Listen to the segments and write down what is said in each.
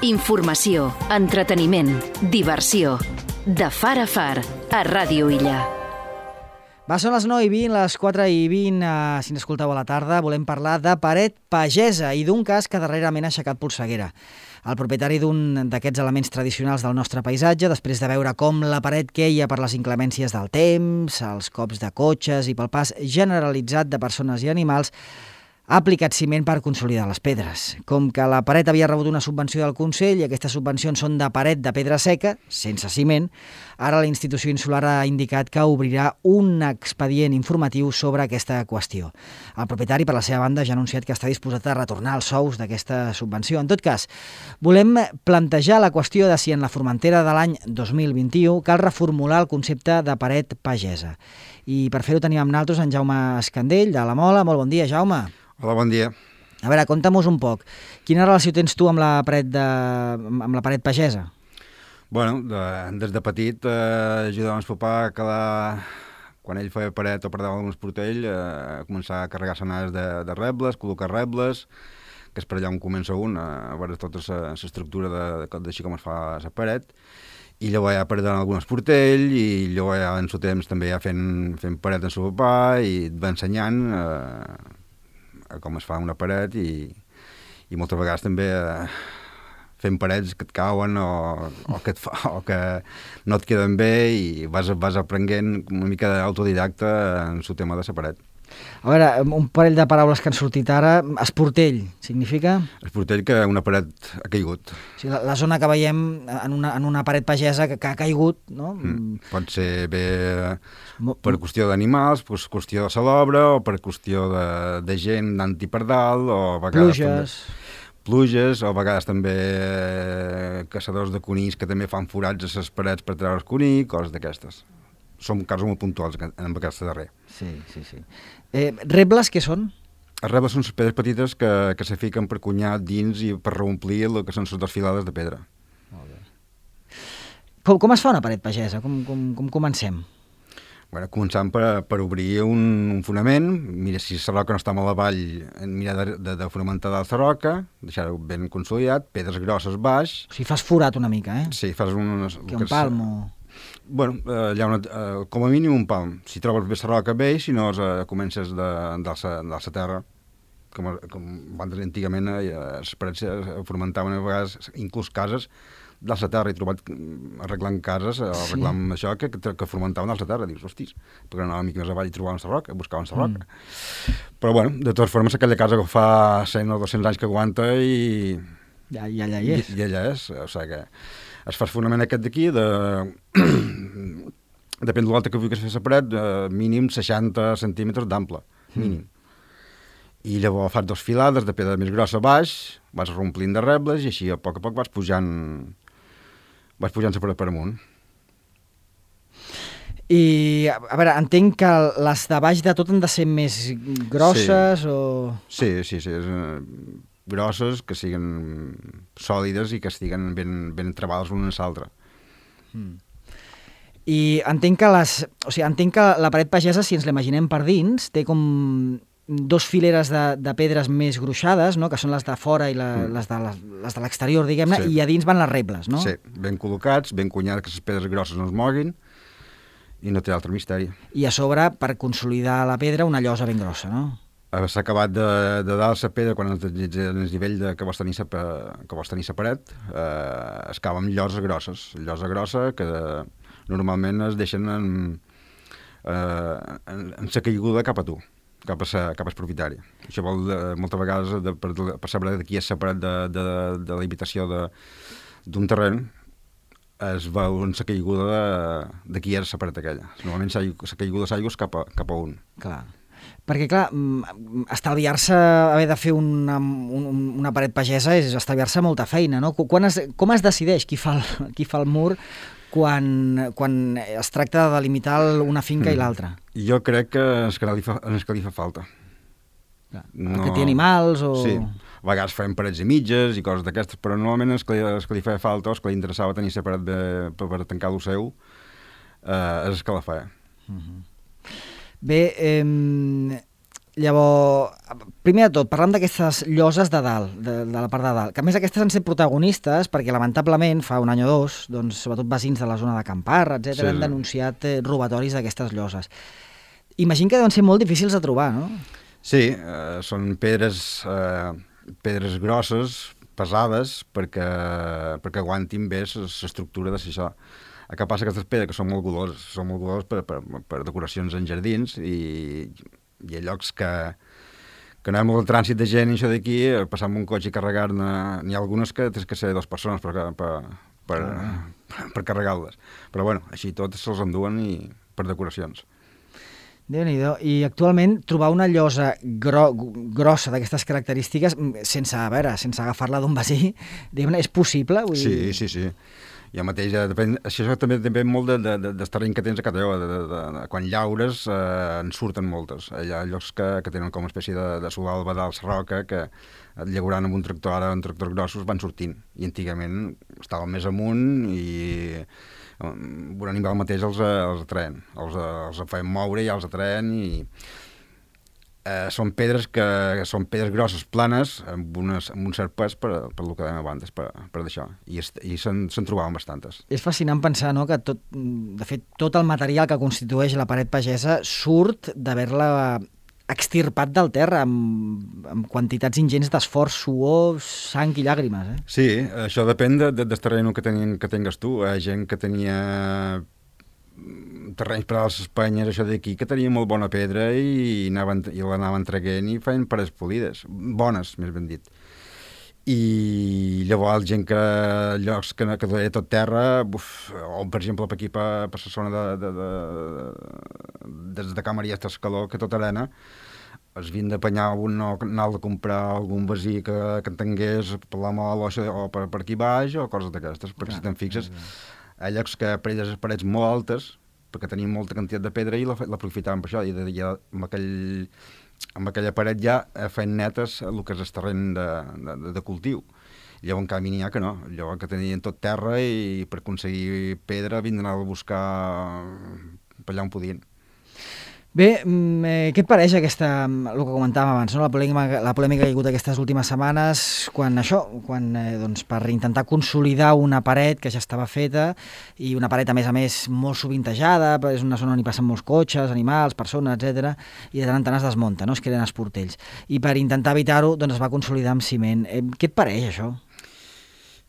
Informació, entreteniment, diversió. De far a far, a Ràdio Illa. Va, són les 9:20, les 4:20, si ens escolteu a la tarda, volem parlar de paret pagesa i d'un cas que darrerament ha aixecat polseguera. El propietari d'un d'aquests elements tradicionals del nostre paisatge, després de veure com la paret queia per les inclemències del temps, els cops de cotxes i pel pas generalitzat de persones i animals, ha aplicat ciment per consolidar les pedres. Com que la paret havia rebut una subvenció del Consell i aquestes subvencions són de paret de pedra seca, sense ciment, ara la institució insular ha indicat que obrirà un expedient informatiu sobre aquesta qüestió. El propietari, per la seva banda, ja ha anunciat que està disposat a retornar els sous d'aquesta subvenció. En tot cas, volem plantejar la qüestió de si en la Formentera de l'any 2021 cal reformular el concepte de paret pagesa. I per fer-ho tenim amb nosaltres en Jaume Escandell, de la Mola. Molt bon dia, Jaume. Hola, bon dia. A veure, conta'm-nos un poc. Quina relació tens tu amb la paret pagesa? Bueno, des de petit ajudàvem el papà que quan ell feia paret o perdava algun esportell, començar a carregar senades de rebles, col·locar rebles, que és per allà on comença un, a veure tota l'estructura d'així com es fa la paret, i llavors ja perdent algun esportell, i llavors ja en el seu temps també ja fent paret amb el seu papà, i et va ensenyant com es fa una paret i moltes vegades també fent parets que et cauen o que no et queden bé i vas aprenent una mica d'autodidacta en el tema de la paret. A veure, un parell de paraules que han sortit ara. Esportell, significa? Esportell, que una paret ha caigut. O sigui, la zona que veiem en una paret pagesa que ha caigut, no? Pot ser bé per qüestió d'animals, per qüestió de l'obra, o per qüestió de gent anant-hi per dalt, o a vegades pluges, o a vegades també caçadors de conills que també fan forats a les parets per treure el conill, coses d'aquestes. Són casos molt puntuals en aquesta darrer. Sí. Rebles, què són? Les rebles són les pedres petites que se fiquen per cunyar dins i per reomplir el que són les desfilades de pedra. Molt bé. Com es fa una paret pagesa? Com comencem? Bueno, començant per obrir un fonament, mira si la roca no està molt avall, mira de fonamentar dalt la roca, deixar-ho ben consolidat, pedres grosses baix. O sigui, fas forat una mica, eh? Sí, fas un palm o... Bueno, hi ha com a mínim un palm. Si trobes bé la roca, bé, si no comences de la terra, com antigament les parets fomentaven a vegades, inclús cases, de la terra. He trobat arreglant cases, arreglant això, que fomentaven de la terra. Dius, hostis, perquè anava una mica més avall i trobaven la roca, buscaven la roca. Però, bueno, de totes formes, aquella casa que fa 100 o 200 anys que aguanta i... Ja allà hi és. I allà és, o sigui que... Es fa el fonament aquest d'aquí, depèn de l'alta que vulguis fer la paret, mínim 60 centímetres d'ample, mínim. I llavors fas 2 filades de pedra més grossa a baix, vas romplint de rebles i així a poc vas pujant la paret per amunt. I, a veure, entenc que les de baix de tot han de ser més grosses o... Sí, grosses, que siguin sòlides i que estiguen ben trebades l'una a l'altra. I entenc que la paret pagesa, si ens l'imaginem per dins, té com 2 fileres de pedres més gruixades, no? Que són les de fora i les de l'exterior, diguem-ne, i a dins van les rebles, no? Sí, ben col·locats, ben cunyats, que les pedres grosses no es moguin, i no té altre misteri. I a sobre, per consolidar la pedra, una llosa ben grossa, no? S'ha acabat de dalt la pedra, quan el nivell que vols tenir la paret, es cava amb llosa grossa, que normalment es deixen en la caiguda cap a tu, cap al propietari. Això vol moltes vegades, per saber de qui és la paret de la habitació d'un terreny, es veu en la caiguda de qui és la paret aquella. Normalment la caiguda de l'aigua és cap a un. Clar. Perquè, clar, estalviar-se, haver de fer una paret pagesa és estalviar-se molta feina, no? Com es decideix qui fa el mur quan es tracta de delimitar una finca i l'altra? Jo crec que és que li fa falta. Perquè té animals o... Sí, a vegades fem parets i mitges i coses d'aquestes, però normalment és que li feia falta o és que li interessava tenir la paret per tancar el seu, és que la feia. Bé, Llavors, primer de tot, parlant d'aquestes lloses de dalt, de la part de dalt, que a més aquestes han set protagonistes perquè lamentablement fa un any o dos, doncs, sobretot veïns de la zona de Camparra, etc., han denunciat robatoris d'aquestes lloses. Imagino que deuen ser molt difícils de trobar, no? Sí, són pedres grosses, pesades, perquè aguantin bé l'estructura de això. El que passa que aquestes pedres que són molt goloses per decoracions en jardins i hi ha llocs que no hi ha molt de trànsit de gent i això d'aquí, passar amb un cotxe i carregar-ne, n'hi ha algunes que tens que ser 2 persones per carregar-les. Però bueno, així tot se'ls enduen per decoracions. Déu-n'hi-do. I actualment trobar una llosa grossa d'aquestes característiques sense agafar-la d'un vecí, és possible? Sí. Jo mateix, això també depèn molt del terreny que tens a cada lloc. Quan llaures en surten moltes. Hi ha llocs que tenen com una espècie de solalba d'alç roca que llaurant amb un tractor, ara amb tractors grossos van sortint. I antigament estaven més amunt i un animal mateix els atreien. Els feien moure i els atreien i són pedres grosses, planes, amb un cert pes per el que dèiem abans, per d'això. I se'n trobaven bastantes. És fascinant pensar, no?, que de fet tot el material que constitueix la paret pagesa surt d'haver-la extirpat del terra amb quantitats ingents d'esforç, suor, sang i llàgrimes. Sí, això depèn del terreny que tingues tu. Hi ha gent que tenia terrenys per a les Espanyes, això d'aquí, que tenia molt bona pedra i l'anaven traguent i feien parets polides, bones, més ben dit. I llavors gent que llocs que deia tot terra, o per exemple per aquí, per la zona des de Camarià fins a Escaló, que tot arena, es havien d'apanyar anar a comprar algun vecí que en tingués per la Mol o per aquí baix o coses d'aquestes, perquè si te'n fixes, hi ha llocs que les parets molt altes, perquè tenien molta quantitat de pedra i l'aprofitaven per això, i amb aquella paret ja feien netes el que és el terreny de cultiu. Llavors, en canvi, n'hi ha que no. Llavors, que tenien tot terra i per aconseguir pedra havien d'anar a buscar per allà on podien. Bé, què et pareix el que comentàvem abans, no? La polèmica que hi ha hagut aquestes últimes setmanes quan per intentar consolidar una paret que ja estava feta i una paret a més molt sovintejada, és una zona on hi passen molts cotxes, animals, persones, etc. I de tant en tant es desmunta, no? Es creen els portells. I per intentar evitar-ho es va consolidar amb ciment. Què et pareix això?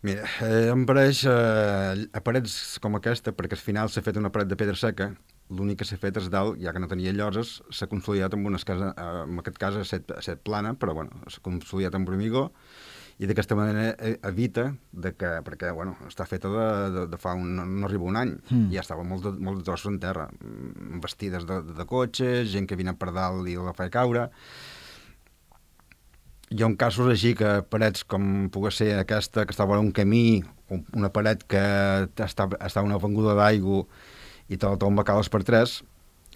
Mira, em pareix a parets com aquesta, perquè al final s'ha fet una paret de pedra seca, l'únic que s'ha fet és dalt, ja que no tenia lloses, s'ha consolidat amb unes cases, en aquest cas ha set plana, però bueno, s'ha consolidat amb formigó, i d'aquesta manera evita perquè està feta de fa no arriba un any, i ja estava molt de trossos en terra, vestides de cotxes, gent que vine per dalt i la feia caure. Hi ha casos així que parets com pugui ser aquesta, que estava en un camí, una paret que està una avinguda d'aigua i te la tomba cales per 3,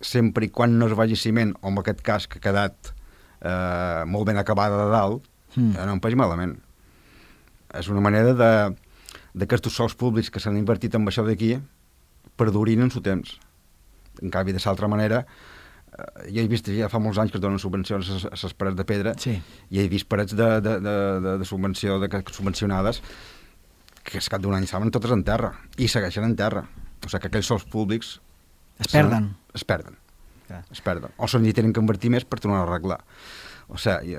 sempre i quan no es vagi ciment, o en aquest cas que ha quedat molt ben acabada de dalt, no em peix malament. És una manera que aquests sols públics que s'han invertit en això d'aquí perdurin en su temps. En canvi, de l'altra manera, jo he vist ja fa molts anys que es donen subvencions a les parets de pedra, i he vist parets de subvenció, subvencionades, que al cap d'un any estaven totes en terra, i segueixen en terra. O sigui que aquells sols públics es perden. Es perden. O se'n hi tenen que invertir més per tornar a arreglar. O sigui,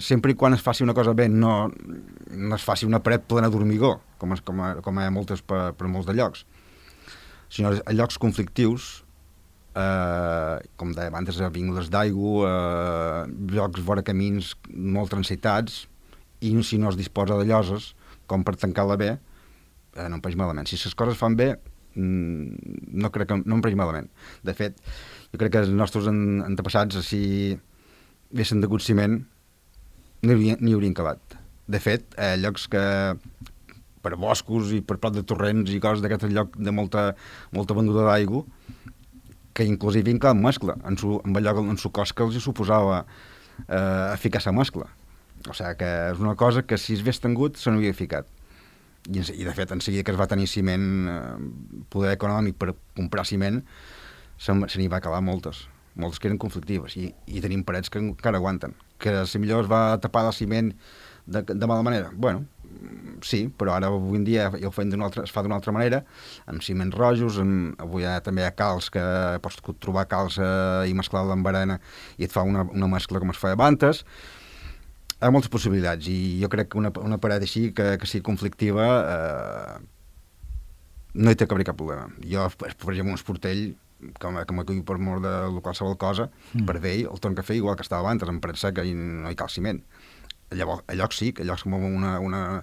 sempre i quan es faci una cosa bé, no es faci una paret plena d'hormigó, com hi ha moltes per molts de llocs, sinó a llocs conflictius, com deia abans, avingudes d'aigua, llocs vora camins molt transitats, i si no es disposa de lloses, com per tancar-la bé, no em peix malament. Si les coses fan bé, no em peix malament. De fet, jo crec que els nostres antepassats, si haguessin degut ciment, n'hi haurien cavat. De fet, llocs que per boscos i per prop de torrents i coses d'aquest lloc de molta venduda d'aigua, que inclusive hi cavat mescla, amb allò en su cos que els suposava ficar la mescla. O sigui que és una cosa que si s'hagués tingut se n'havia ficat. I de fet, en seguida que es va tenir ciment, poder econòmic per comprar ciment, se n'hi va acabar moltes. moltes que eren conflictives, i tenim parets que encara aguanten. Que si millor es va tapar el ciment de mala manera, bueno, sí, però ara avui en dia ja es fa d'una altra manera, amb ciments rojos, avui també hi ha calç que pots trobar calç i mesclar-la amb arena i et fa una mescla com es feia abans. Hi ha moltes possibilitats i jo crec que una paret així que sigui conflictiva no hi té que haver cap problema. Jo, per exemple, un esportell com aquí per mort de qualsevol cosa, per vell el torn que fer igual que estava abans, amb paret seca i no hi cal ciment. Llavors, a llocs sí, que a llocs com una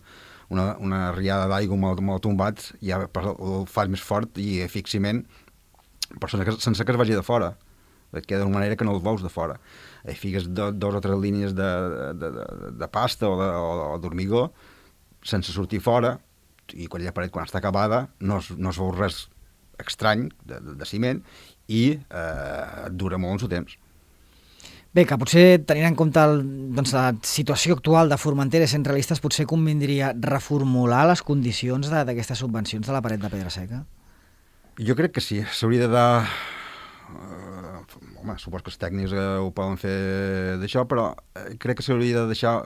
riada d'aigua molt tombat, ja el fas més fort i fics ciment, però sense que es vagi de fora. Et queda d'una manera que no el veus de fora. Fiques dos o tres línies de pasta o d'hormigó sense sortir fora, i quan la paret, quan està acabada, no es veu res estrany de ciment i et dura molt en el temps. Bé, que potser, tenint en compte la situació actual de Formentera i Centralistes, potser convindria reformular les condicions d'aquestes subvencions de la paret de pedra seca? Jo crec que sí. S'hauria de dar... Home, suposo que els tècnics ho poden fer d'això, però crec que s'hauria de deixar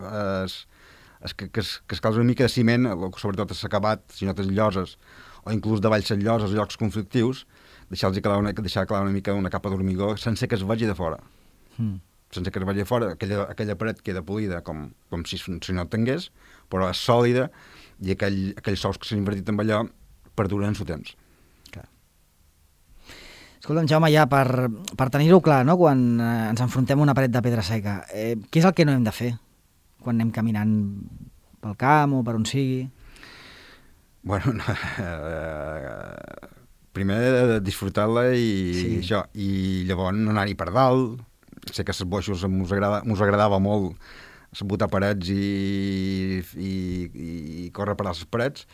que es calci una mica de ciment, sobretot a s'acabat, si no tens lloses, o inclús davall les lloses, llocs conflictius, deixar calar una mica una capa d'hormigó sense que es vagi de fora. Sense que es vagi de fora, aquella paret queda polida com si no tingués, però és sòlida i aquells sous que s'han invertit amb allò perduren en el temps. Clar. Escolta'm, Jaume, ja per tenir-ho clar, no? Quan ens enfrontem a una paret de pedra seca, què és el que no hem de fer quan anem caminant pel camp o per on sigui? Bueno, primer disfrutar-la i això, i llavors no anar-hi per dalt. Sé que als boixos mos agradava molt botar parets i córrer per les parets,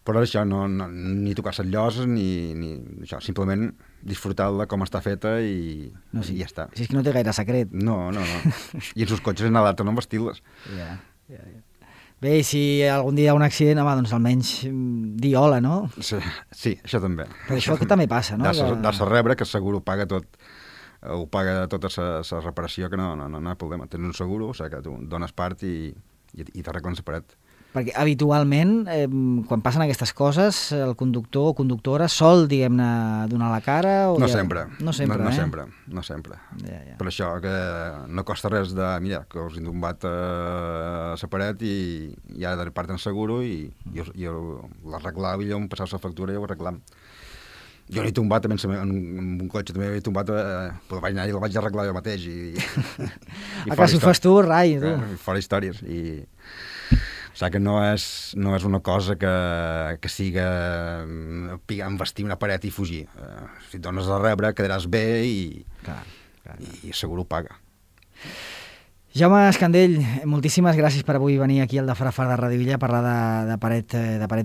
però això, ni tocar les lloses ni això, simplement disfrutar-la com està feta i ja està. Si és que no té gaire secret. No. I en els cotxes anar d'altre no vestir-les. Ja. Bé, i si algun dia hi ha un accident, home, doncs almenys dir hola, no? Sí, això també. Però això també passa, no? Dar-se rebre, que segur ho paga tot, ho paga tota la reparació, que no hi ha problema. Tens un seguro, o sigui que tu dones part i t'arreglen la paret. Perquè habitualment, quan passen aquestes coses, el conductor o conductora sol, diguem-ne, donar la cara? No sempre. No sempre. Ja. Per això que no costa res mira, que us he tombat a la paret i ara de part en seguro i l'arreglava i em passava la factura i ho arreglam. Jo n'he tombat també en un cotxe, també he tombat, però vaig anar i el vaig arreglar jo mateix. A que si ho fas tu, rai, tu. Fora històries. O sigui que no és una cosa que siga vestir una paret i fugir. Si et dones a rebre, quedaràs bé i segur ho paga. Jaume Escandell, moltíssimes gràcies per avui venir aquí al de Fara Far de Ràdio Illa a parlar de paret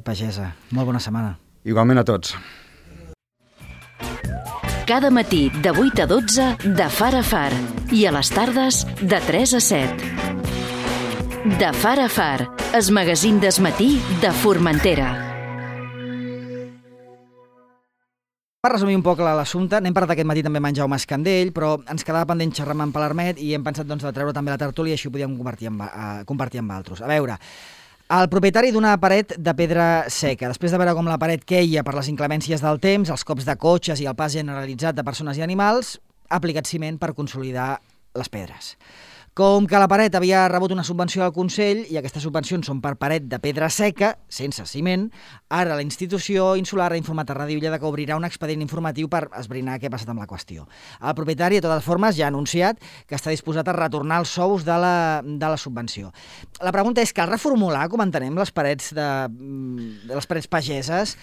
pagesa. Molt bona setmana. Igualment a tots. Cada matí de 8 a 12 de Far a Far i a les tardes de 3 a 7. De Far a Far, el magazín del matí de Formentera. Per resumir un poc l'assumpte, n'hem parlat aquest matí també amb en Jaume Escandell, però ens quedava pendent xerrar amb en Palarmet i hem pensat de treure també la tertúlia i així ho podíem compartir amb altres. A veure, el propietari d'una paret de pedra seca, després de veure com la paret queia per les inclemències del temps, els cops de cotxes i el pas generalitzat de persones i animals, ha aplicat ciment per consolidar les pedres. Com que la paret havia rebut una subvenció del Consell i aquestes subvencions són per paret de pedra seca, sense ciment, ara la institució insular ha informat a Ràdio Illa que obrirà un expedient informatiu per esbrinar què ha passat amb la qüestió. El propietari, de totes formes, ja ha anunciat que està disposat a retornar els sous de la subvenció. La pregunta és, cal reformular, com entenem, les parets pageses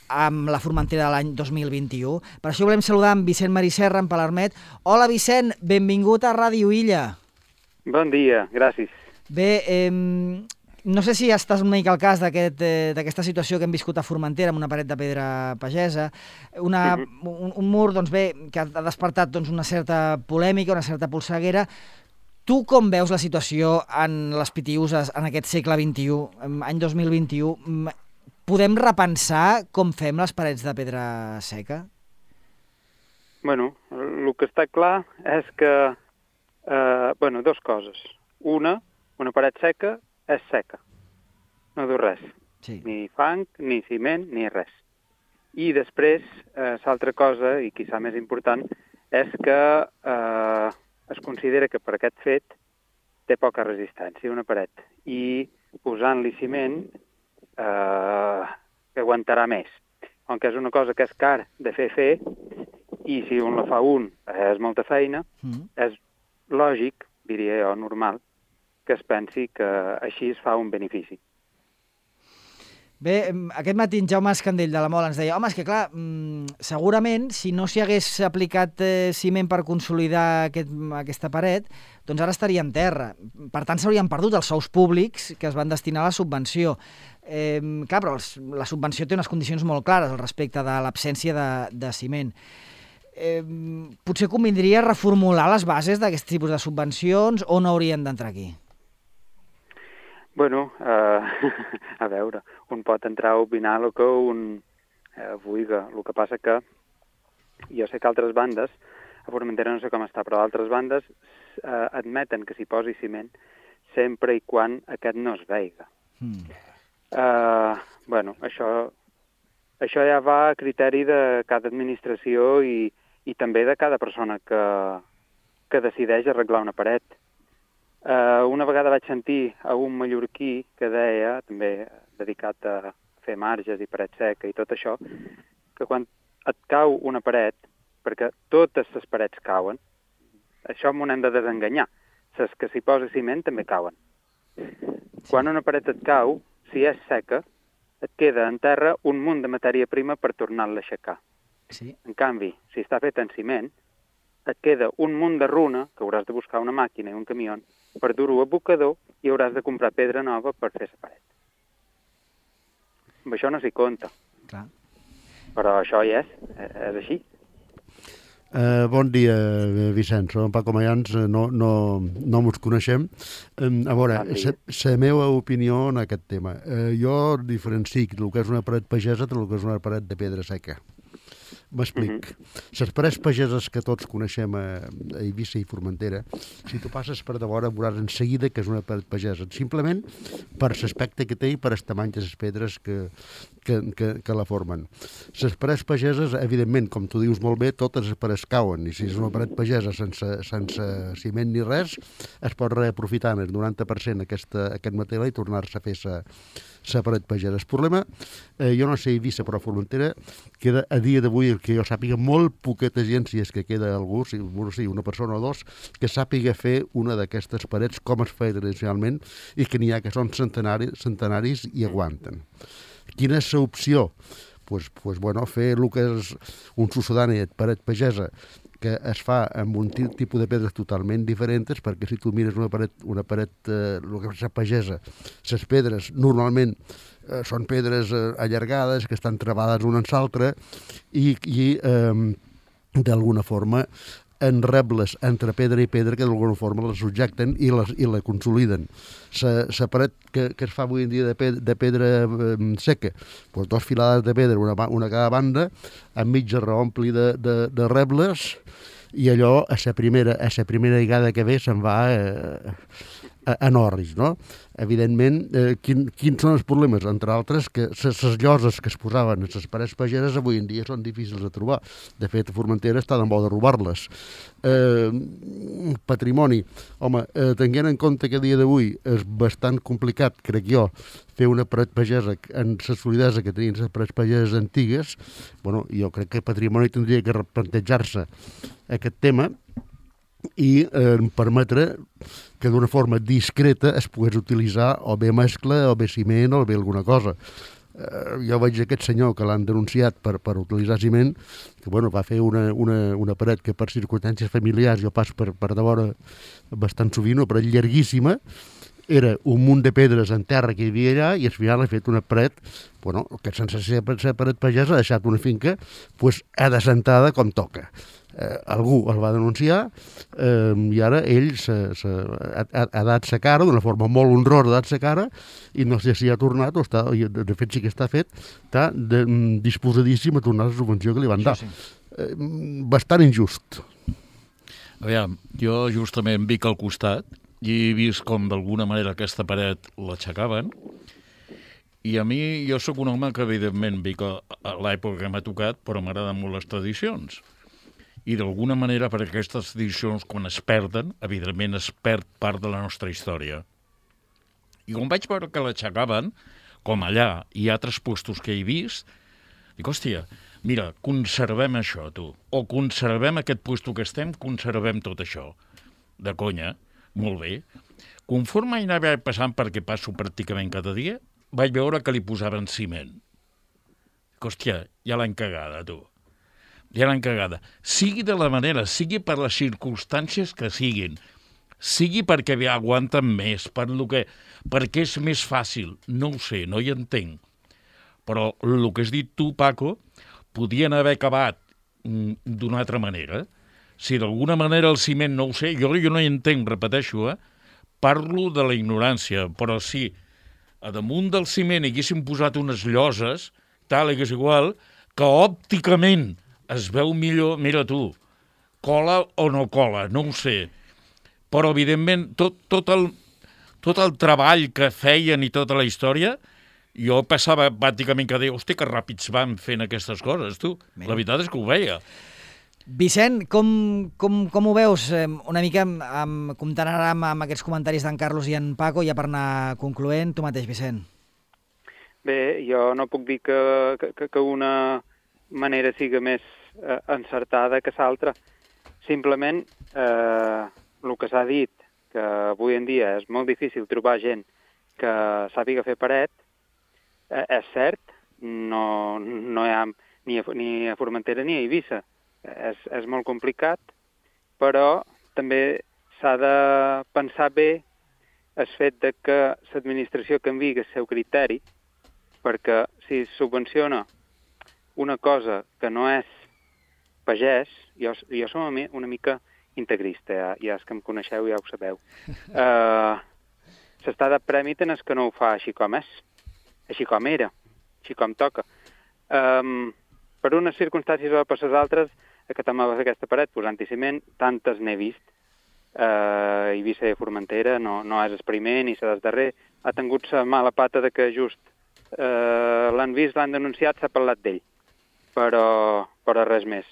amb la Formentera de l'any 2021? Per això volem saludar en Vicent Mariserra, en Palarmet. Hola, Vicent, benvingut a Ràdio Illa. Bon dia, gràcies. Bé, no sé si estàs una mica al cas d'aquesta situació que hem viscut a Formentera amb una paret de pedra pagesa, un mur que ha despertat una certa polèmica, una certa polseguera. Tu com veus la situació en les Pitiüses en aquest segle XXI, any 2021? Podem repensar com fem les parets de pedra seca? Bueno, el que està clar és que, dues coses. Una paret seca és seca, no diu res. Sí. Ni fang, ni ciment, ni res. I després, l'altra cosa, i quizà més important, és que es considera que per aquest fet té poca resistència una paret. I posant-li ciment que aguantarà més. Com que és una cosa que és car de fer, i si un la fa és molta feina, és lògic, diria jo, normal, que es pensi que així es fa un benefici. Bé, aquest matí en Jaume Escandell de la Mola ens deia home, és que clar, segurament si no s'hi hagués aplicat ciment per consolidar aquesta paret, doncs ara estaria en terra. Per tant, s'haurien perdut els sous públics que es van destinar a la subvenció. Clar, però la subvenció té unes condicions molt clares al respecte de l'absència de ciment. Potser convindria reformular les bases d'aquest tipus de subvencions o no haurien d'entrar aquí? Bueno, a veure, un pot entrar a opinar el que un vulgui. El que passa que jo sé que altres bandes, a Formentera no sé com està, però altres bandes admeten que s'hi posi ciment sempre i quan aquest no es veiga. Això ja va a criteri de cada administració i també de cada persona que decideix arreglar una paret. Una vegada vaig sentir a un mallorquí que deia, també dedicat a fer marges i paret seca i tot això, que quan et cau una paret, perquè totes les parets cauen, això m'ho hem de desenganyar. Les que s'hi posa ciment també cauen. Quan una paret et cau, si és seca, et queda en terra un munt de matèria prima per tornar-la a aixecar. Sí. En canvi, si està fet en ciment, et queda un munt de runa, que hauràs de buscar una màquina i un camió, per dur-ho a abocador i hauràs de comprar pedra nova per fer la paret. Amb això no s'hi compta. Clar. Però això hi és així. Bon dia, Vicenç. Som Paco Mayans, no mos coneixem. A veure, la meva opinió en aquest tema. Jo diferencio el que és una paret pagesa del que és una paret de pedra seca. M'explic. Les parets pageses que tots coneixem a Eivissa i Formentera, si tu passes per davora veuràs en seguida que és una paret pagesa, simplement per l'aspecte que té i per el tamany de les pedres que la formen. Les parets pageses, evidentment, com tu dius molt bé, totes les parets cauen, i si és una paret pagesa sense ciment ni res, es pot reaprofitar en el 90% aquest material i tornar-se a fer la paret pagesa. El problema, jo no sé Eivissa, però a Formentera queda a dia d'avui, que jo sàpiga, molt poqueta gent, si és que queda algú, una persona o dos, que sàpiga fer una d'aquestes parets com es feia tradicionalment i que n'hi ha que són centenaris i aguanten. Quina és l'opció? Pues, fer el que és un sucedani de paret pagesa que es fa amb un tipus de pedres totalment diferents, perquè si tu mires una paret el que és la pagesa, les pedres normalment són pedres allargades que estan travades una en l'altra i d'alguna forma en rebles entre pedra i pedra que d'alguna forma la subjecten i la consoliden. La paret que es fa avui en dia de pedra seca, doncs 2 filades de pedra, una a cada banda, enmig es reompli de rebles, i allò a la primera vegada que ve se'n va a Norris, no? Evidentment, quins són els problemes? Entre altres, que les lloses que es posaven a les parets pageses avui en dia són difícils de trobar. De fet, a Formentera està de moda robar-les. Patrimoni. Home, tenint en compte que a dia d'avui és bastant complicat, crec jo, fer una paret pagesa en la solidesa que tenien les parets pageses antigues, bueno, jo crec que Patrimoni tindria que replantejar-se aquest tema i permetre que d'una forma discreta es pogués utilitzar o bé mescla, o bé ciment, o bé alguna cosa. Jo veig aquest senyor que l'han denunciat per utilitzar ciment, que va fer una paret que per circumstàncies familiars jo passo per davora bastant sovint, una paret llarguíssima, era un munt de pedres en terra que hi havia allà i al final ha fet una paret, que sense ser paret pagesa ha deixat una finca adassentada com toca. Algú el va denunciar i ara ell ha dat sa cara d'una forma molt honrosa, ha dat sa cara i no sé si ha tornat o de fet sí que està fet, està disposadíssim a tornar la subvenció que li van dar. bastant injust. Aviam, jo justament vic al costat i he vist com d'alguna manera aquesta paret l'aixecaven, i a mi, jo sóc un home que evidentment vic a l'època que m'ha tocat, però m'agraden molt les tradicions. I d'alguna manera, per aquestes tradicions, quan es perden, evidentment es perd part de la nostra història. I quan vaig veure que l'aixecaven, com allà i altres puestos que he vist, dic, hòstia, mira, conservem això, tu. O conservem aquest puesto que estem, conservem tot això. De conya, molt bé. Conforme anava passant, perquè passo pràcticament cada dia, vaig veure que li posaven ciment. Dic, hòstia, ja l'han cagada, tu. Ja l'han cagada. Sigui de la manera, sigui per les circumstàncies que siguin, sigui perquè aguanten més, perquè és més fàcil, no ho sé, no hi entenc. Però el que has dit tu, Paco, podien haver acabat d'una altra manera. Si d'alguna manera el ciment, no ho sé, jo no hi entenc, repeteixo, parlo de la ignorància, però si a damunt del ciment haguessin posat unes lloses, tal, que és igual, que òpticament es veu millor, mira tu, cola o no cola, no ho sé. Però, evidentment, tot el treball que feien i tota la història, jo passava pràcticament que deia, hòstia, que ràpids van fent aquestes coses, tu. La veritat és que ho veia. Vicent, com ho veus? Una mica comptant ara amb aquests comentaris d'en Carlos i en Paco, ja per anar concloent, tu mateix, Vicent. Bé, jo no puc dir que una manera siga més encertada que l'altra. Simplement, el que s'ha dit, que avui en dia és molt difícil trobar gent que sàpiga fer paret, és cert, no hi ha ni a Formentera ni a Eivissa. És molt complicat, però també s'ha de pensar bé el fet de que l'administració canviï el seu criteri, perquè si subvenciona una cosa que no és pagès, jo som una mica integrista, ja és que em coneixeu, ja ho sabeu. S'està de premi tant és que no ho fa així com és, així com era, així com toca. Per unes circumstàncies o per les altres, que també va fer aquesta paret posant-hi ciment, tantes n'he vist. Eivissa i Formentera no és el primer ni el darrer. Ha tingut la mala pata de que just l'han vist, l'han denunciat, s'ha parlat d'ell. Però res més.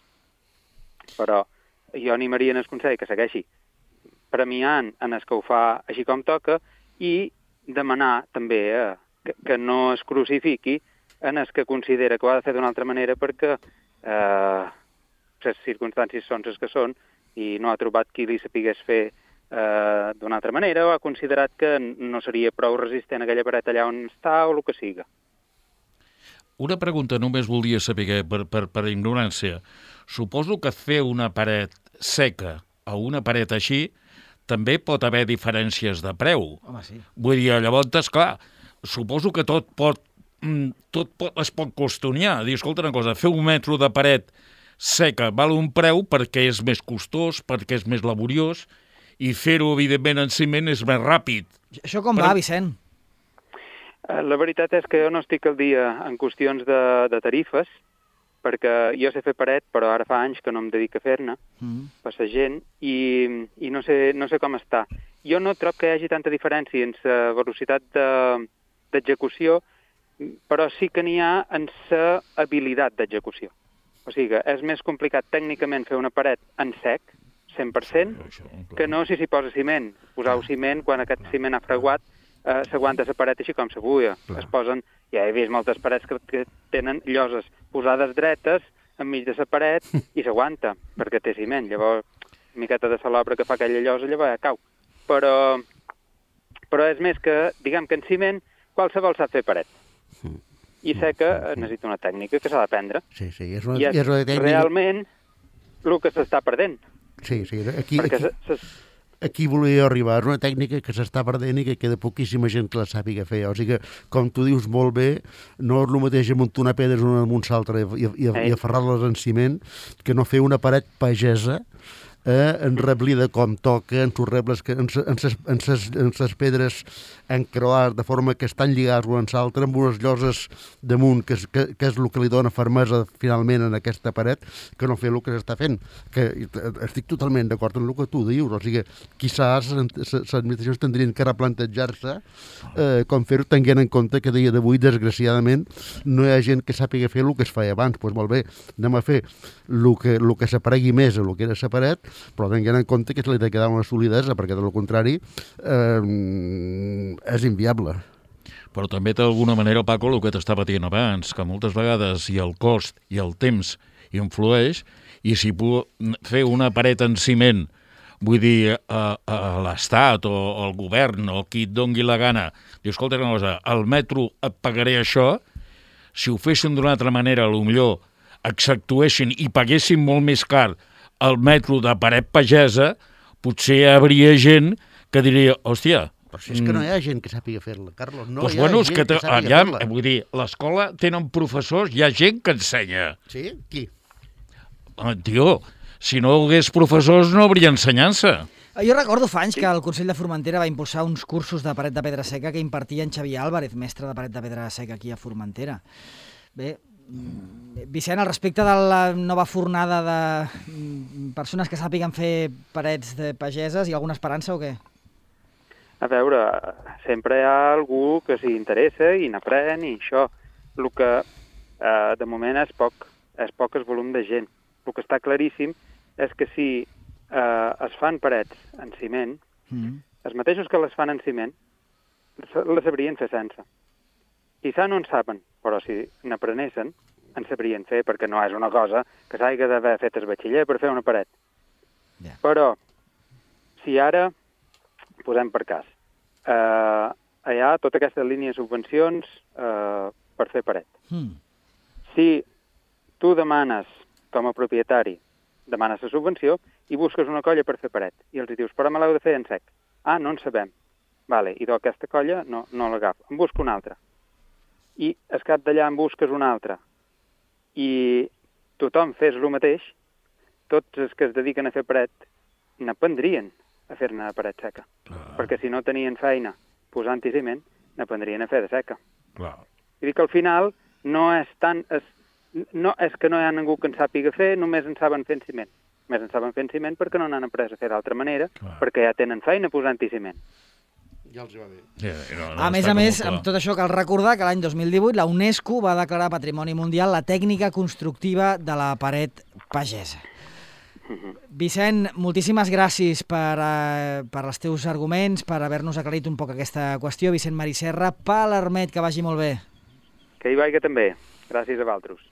Però jo animaria en el Consell que segueixi premiant en el que ho fa així com toca i demanar també que no es crucifiqui en el que considera que ho ha de fer d'una altra manera perquè les circumstàncies són les que són i no ha trobat qui li sapigués fer d'una altra manera o ha considerat que no seria prou resistent aquella paret allà on està o el que siga. Una pregunta només volia saber, per ignorància. Suposo que fer una paret seca o una paret així també pot haver diferències de preu. Home, sí. Vull dir, llavors, clar, suposo que tot es pot costoniar. Dir, escolta una cosa, fer un metro de paret seca val un preu perquè és més costós, perquè és més laboriós, i fer-ho, evidentment, en ciment és més ràpid. Això com va, Vicent? La veritat és que jo no estic al dia en qüestions de tarifes, perquè jo sé fer paret, però ara fa anys que no em dedico a fer-ne, per la gent, i no sé com està. Jo no trobo que hi hagi tanta diferència en la velocitat d'execució, però sí que n'hi ha en la habilitat d'execució. O sigui, és més complicat tècnicament fer una paret en sec, 100%, que no si s'hi posa ciment. Posar ciment, quan aquest ciment ha fraguat, s'aguanta la paret així com s'abuia. Es posen, ja he vist moltes parets que tenen lloses posades dretes enmig de la paret i s'aguanta, perquè té ciment. Llavors, una miqueta de salobra que fa aquella llosa, llavors cau. Però és més que, diguem que en ciment, qualsevol sap fer paret. I sé que necessita una tècnica que s'ha d'aprendre. Sí, és una tècnica... realment el que s'està perdent. Sí, aquí volia arribar. És una tècnica que s'està perdent i que queda poquíssima gent que la sàpiga fer. O sigui que, com tu dius molt bé, no és el mateix amuntonar pedres una amunt l'altra i aferrar-les en ciment que no fer una paret pagesa enreblida com toca, en sus rebles, en ses pedres encroades, de forma que estan lligats l'un amb l'altre, amb unes lloses damunt, que és el que li dona fermesa finalment en aquesta paret, que no fer el que s'està fent. Que estic totalment d'acord amb el que tu dius, o sigui, quizás les administracions tindrien que replantejar-se com fer-ho, tenint en compte que a dia d'avui, desgraciadament, no hi ha gent que sàpiga fer el que es feia abans. Doncs molt bé, anem a fer el que s'aparegui més a el que era la paret, però tenint en compte que se li ha de quedar una solidesa, perquè del contrari és inviable. Però també d'alguna manera, Paco, el que t'estava dient abans, que moltes vegades i el cost i el temps influeix, i si puc fer una paret en ciment, vull dir, a l'Estat o al govern o qui et dongui la gana, diu, escolta una cosa, al metro et pagaré això, si ho fessin d'una altra manera, potser exceptuessin i paguessin molt més car el metro de paret pagesa, potser hi hauria gent que diria, hòstia... Però si és que no hi ha gent que sàpiga fer-la, Carlos, no doncs hi ha bueno, gent que sàpiga fer-la. Vull dir, l'escola tenen professors, hi ha gent que ensenya. Sí? Qui? Tio, si no hi hagués professors no hauria ensenyança. Jo recordo fa anys que el Consell de Formentera va impulsar uns cursos de paret de pedra seca que impartia en Xavier Álvarez, mestre de paret de pedra seca aquí a Formentera. Bé, Vicent, al respecte de la nova fornada de persones que sàpiguen fer parets de pageses, hi ha alguna esperança o què? A veure, sempre hi ha algú que s'hi interessa i n'aprèn i això. El que de moment és poc el volum de gent. El que està claríssim és que si es fan parets en ciment, els mateixos que les fan en ciment, les sabrien fer sense. Quizà no en saben, però si n'aprenessin, en sabrien fer, perquè no és una cosa que s'hagi d'haver fet el batxiller per fer una paret. Yeah. Però, si ara, posem per cas, hi ha tota aquesta línia de subvencions per fer paret. Si tu demanes, com a propietari, demanes la subvenció i busques una colla per fer paret. I els dius, però me l'heu de fer en sec. Ah, no en sabem. Vale, i d'aquesta colla no l'agafo. En busco una altra. I al cap d'allà en busques una altra. I tothom fes el mateix, tots els que es dediquen a fer paret n'aprendrien a fer-ne de paret seca. Perquè si no tenien feina posant-hi ciment, n'aprendrien a fer de seca. I dic que al final no és tant... No és que no hi ha ningú que en sàpiga fer, només en saben fer en ciment. Només en saben fer en ciment perquè no n'han après a fer d'altra manera, perquè ja tenen feina posant-hi ciment. Ja els va bé. A més, amb tot això cal recordar que l'any 2018 la UNESCO va declarar Patrimoni Mundial la tècnica constructiva de la paret pagesa. Vicent, moltíssimes gràcies per els teus arguments, per haver-nos aclarit un poc aquesta qüestió. Vicent Mariserra, Palermet, que vagi molt bé. Que hi vagi també. Gràcies a vosaltres.